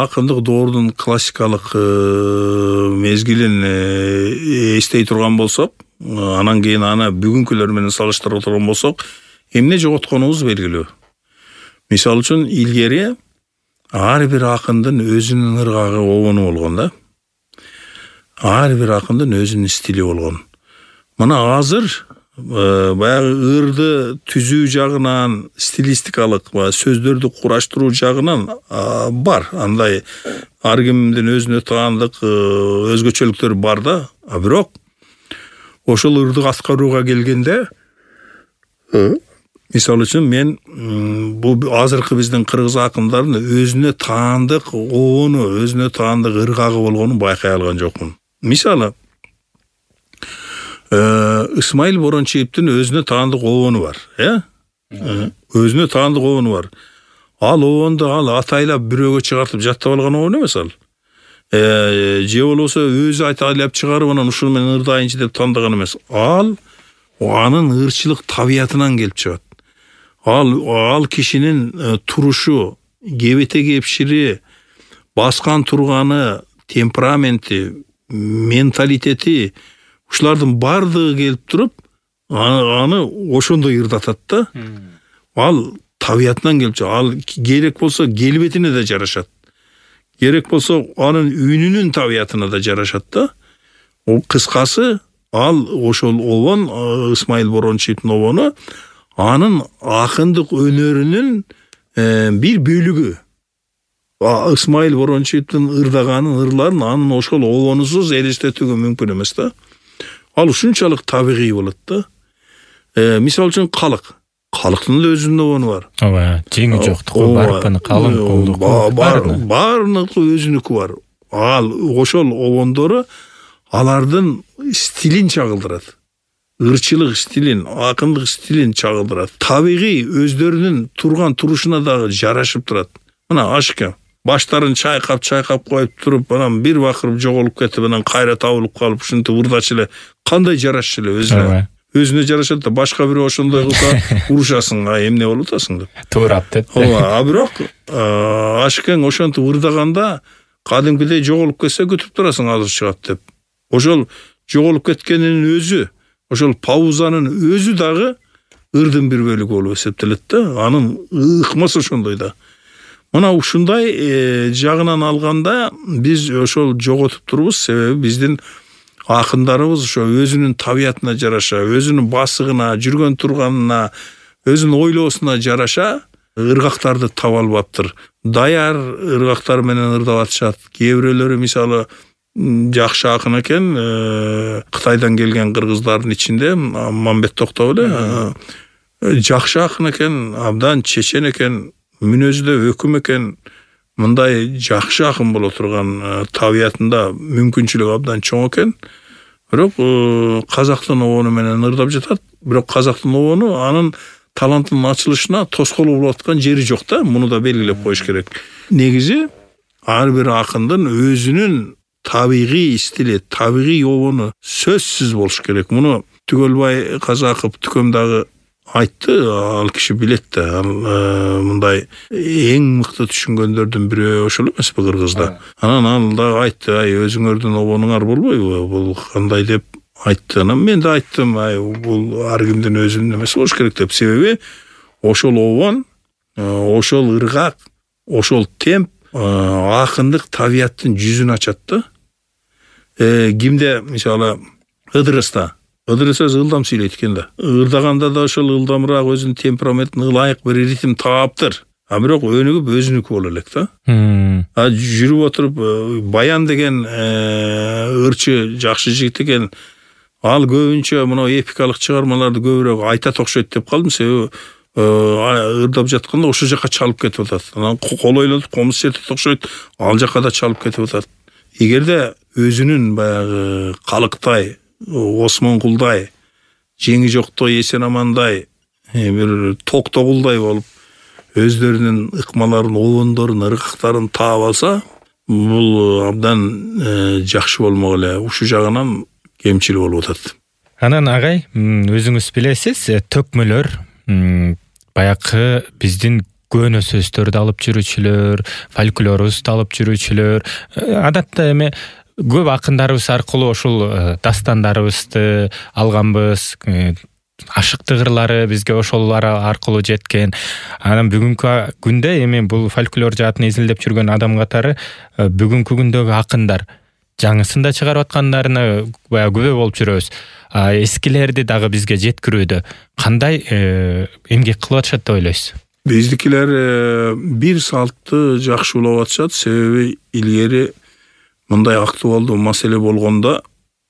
акындык доордун классикалык мезгилин эстей турган болсок, анан кийин аны бүгүнкүлөр менен салыштыра турган болсок, эмне жоготконубуз белгилүү. Мисалы үчүн илгери ар бир акындын өзүнүн ыргагы обону болгон да. Ар бир акындын өзүнүн стили болгон. Мына азыр баягы ырды түзүү жагынан, стилистикалык сөздөрдү кураштыруу жагынан бар. Андай ар кимдин өзүнө таандык өзгөчөлүктөр бар да. Бирок ошол ырды аткарууга келгенде, мисалы үчүн мен бул азыркы биздин кыргыз акындардын өзүнө таандык обону, өзүнө таандык ыргагы болгонун байкай алган жокмун. Мисалы, Исмаил Борончиевдин өзүнө таандык обону бар, өзүнө таандык обону бар. Ал обонду атайлап бирөөгө чыгартып жаттап алган обон эмес ал. Же болбосо өзү атайлап чыгарып анан ушуну мен ырдайынчы деп тандаган эмес. Ал анын ырчылык табиятынан келип чыгат. Ал кишинин турушу, кебете кепшири, баскан турганы, темпераменти, менталитети, ушулардын бардыгы келип туруп, аны ошондой ырдатат да. Ал табиятынан келип чыгат. Ал керек болсо келбетине да жарашат. Керек болсо анын үнүнүн табиятына да жарашат да. Кыскасы, ал ошол обон, Исмаил Борончиевдин обону, анын акындык өнөрүнүн бир бөлүгү. Исмаил Борончиевдин ырдаганын ырларын анын ошол обонусуз элестетүүгө мүмкүн эмес да. Ал ушунчалык табигый болот да. Мисалы үчүн калыктын да өзүнүн обону бар. Ооба, жеңи жоктугу, барпаны, калың колдугу, баарыныкы өзүнүкү бар. Ал ошол обондору алардын стилин чагылдырат. Ырчылык стилин, акындык стилин чагылдырат. Табигый өздөрүнүн турган турушуна дагы жарашып турат. Мына ашка баштарын чайкап коюп туруп, анан бир бакырып жоголуп кетип, анан кайра табылып калып, ушинтип ырдачы эле кандай жарашчу эле өзүнө. Өзүнө жарашат да, башка бирөө ошондой кылса урушасың, эмне болуп атасың деп. Туурап деп. Ооба, бирок ашкең ошентип ырдаганда кадимкидей жоголуп кетсе күтүп турасың азыр чыгат деп. Ошол жоголуп кеткенинин өзү, ошол паузанын өзү дагы ырдын бир бөлүгү болуп эсептелет да. Анын ыкмасы ошондой да. Мына ушундай жагынан алганда биз ошол жоготуп турбуз, себеби биздин акындарыбыз ошо өзүнүн табиятына жараша, өзүнүн басыгына, жүргөн турганына, өзүнүн ойлоосуна жараша ыргактарды таба албаптыр. Даяр ыргактар менен ырдап атышат. Кээ бирөөлөрү мисалы жакшы акын экен, Кытайдан келген кыргыздардын ичинде Мамбет Токтов эле жакшы акын экен, абдан чечен экен, мүнөзү да өкүм экен, мындай жакшы акын боло турган табиятында мүмкүнчүлүк абдан чоң экен. Бирок казактын обону менен ырдап жатат. Бирок казактын обону анын талантынын ачылышына тоскоол болуп аткан жери жок да. Муну да белгилеп коюш керек. Негизи ар бир акындын өзүнүн табигый стили, табигый обону сөзсүз болуш керек. Муну Түгөлбай Казаков Түкөм дагы айтты, ал киши билет да. Мындай эң мыкты түшүнгөндөрдүн бирөө ошол эмеспи кыргызда. Анан ал дагы айтты, өзүңөрдүн обонуңар болбойбу? Бул кандай деп айтты. Анан мен да айттым, бул ар кимдин өзүнүн эмеси болуш керек деп. Себеби ошол обон, ошол ыргак, ошол темп акындык табияттын жүзүн ачат да. Кимде мисалы Ыдырыс өзү ылдам сүйлөйт экен да. Ырдаганда да ошол ылдамыраак өзүнүн темпераментине ылайык бир ритм таптыр. Бирок өнүгүп өзүнүкү боло элек да. Жүрүп отуруп Баян деген ырчы жакшы жигит экен. Ал көбүнчө мына эпикалык чыгармаларды көбүрөөк айтат окшойт деп калдым, себеби ырдап жатканда ошол жака чалып кетип атат. Анан кол ойлонуп комуз чертет окшойт, ал жака да чалып кетип атат. Эгерде өзүнүн баягы Калыктай, Осмонкулдай, жеңи жоктой эсен амандай, бир Токтогулдай болуп өздөрүнүн ыкмаларын, обондорун, ыргактарын таап алса, бул абдан жакшы болмок эле. Ушул жагынан кемчил болуп атат. Анан агай, өзүңүз билесиз, төкмөлөр баягы биздин көөнө сөздөрдү алып жүрүүчүлөр, фольклорубузду алып жүрүүчүлөр, адатта эми көп акындарыбыз аркылуу ушул дастандарыбызды алганбыз, ашыктык ырлары бизге ошолор аркылуу жеткен. Анан бүгүнкү күндө эми бул фольклор жаатын изилдеп жүргөн адам катары бүгүнкү күндөгү акындар жаңысын да чыгарып аткандарына баягы күбө болуп жүрөбүз. Эскилерди дагы бизге жеткирүүдө кандай эмгек кылып атышат деп ойлойсуз? Биздикилер бир салтты жакшы улап атышат, себеби илгери мындай актуалдуу маселе болгондо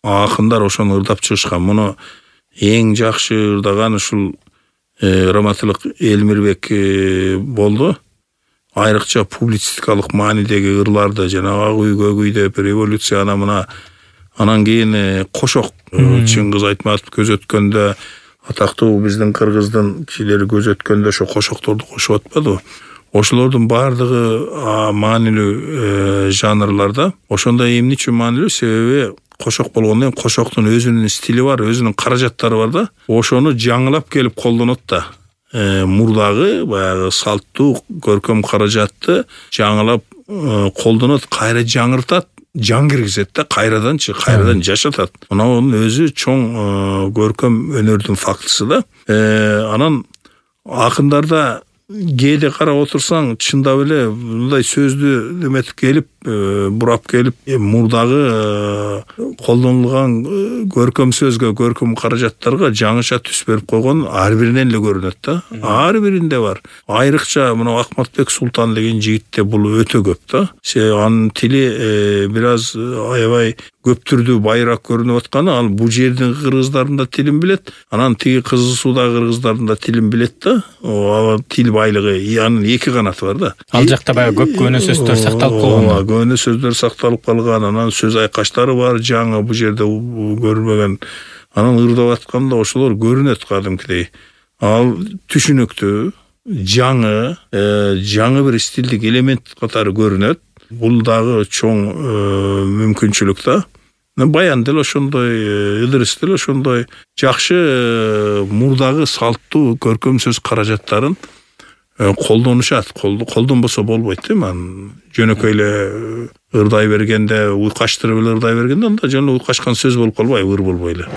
акындар ошону ырдап чыгышкан. Муну эң жакшы ырдаган ушул Раматылык Элмирбек болду. Айрыкча публицистикалык маанидеги ырларды жанагы ак үй көк үй деп революция анан кийин кошок Чыңгыз Айтматов көз өткөндө, атактуу биздин кыргыздын кишилери көз өткөндө ошо кошокторду кошуп атпадыбы? Ошолордун баардыгы маанилүү жанрларда. Ошондо эмне үчүн маанилүү? Себеби кошок болгондон кийин кошоктун өзүнүн стили бар, өзүнүн каражаттары бар да. Ошону жаңылап келип колдонот да. Мурдагы баягы салттуу көркөм каражатты жаңылап колдонот, кайра жаңыртат, жан киргизет да, кайрадан жашатат. Мунун өзү чоң көркөм өнөрдүн фактысы да. Анан акындарда кээде карап отурсаң, чындап эле мындай сөздү эметип келип, бурап келип, мурдагы колдонулган көркөм сөзгө, көркөм каражаттарга жаңыча түс берип койгон ар биринен эле көрүнөт да. Ар биринде бар. Айрыкча мына Акматбек Султан деген жигитте бул өтө көп да. Анын тили бир аз аябай көптүрдүү байыраак көрүнүп атканы, ал бул жердин кыргыздарында тилин билет, анан тиги Кызыл Суудагы кыргыздарында тилин билет да. Тил байлыгы, анын эки канаты бар да. Ал жакта баягы көп көөнө сөздөр сакталып калган. Көөнө сөздөр сакталып калган, анан сөз айкаштары бар, жаңы бул жерде көрүнбөгөн. Анан ырдап атканда ошолор көрүнөт кадимкидей. Ал түшүнүктүү, жаңы бир стилдик элемент катары көрүнөт. Бул дагы чоң мүмкүнчүлүк да. Баян деле ошондой, Ыдырыс деле ошондой жакшы мурдагы салттуу көркөм сөз каражаттарын колдонушат. Колдонбосо болбойт да. Жөнөкөй эле ырдай бергенде, уйкаштырып эле ырдай бергенде анда жөн уйкашкан сөз болуп калбайбы, ыр болбой эле.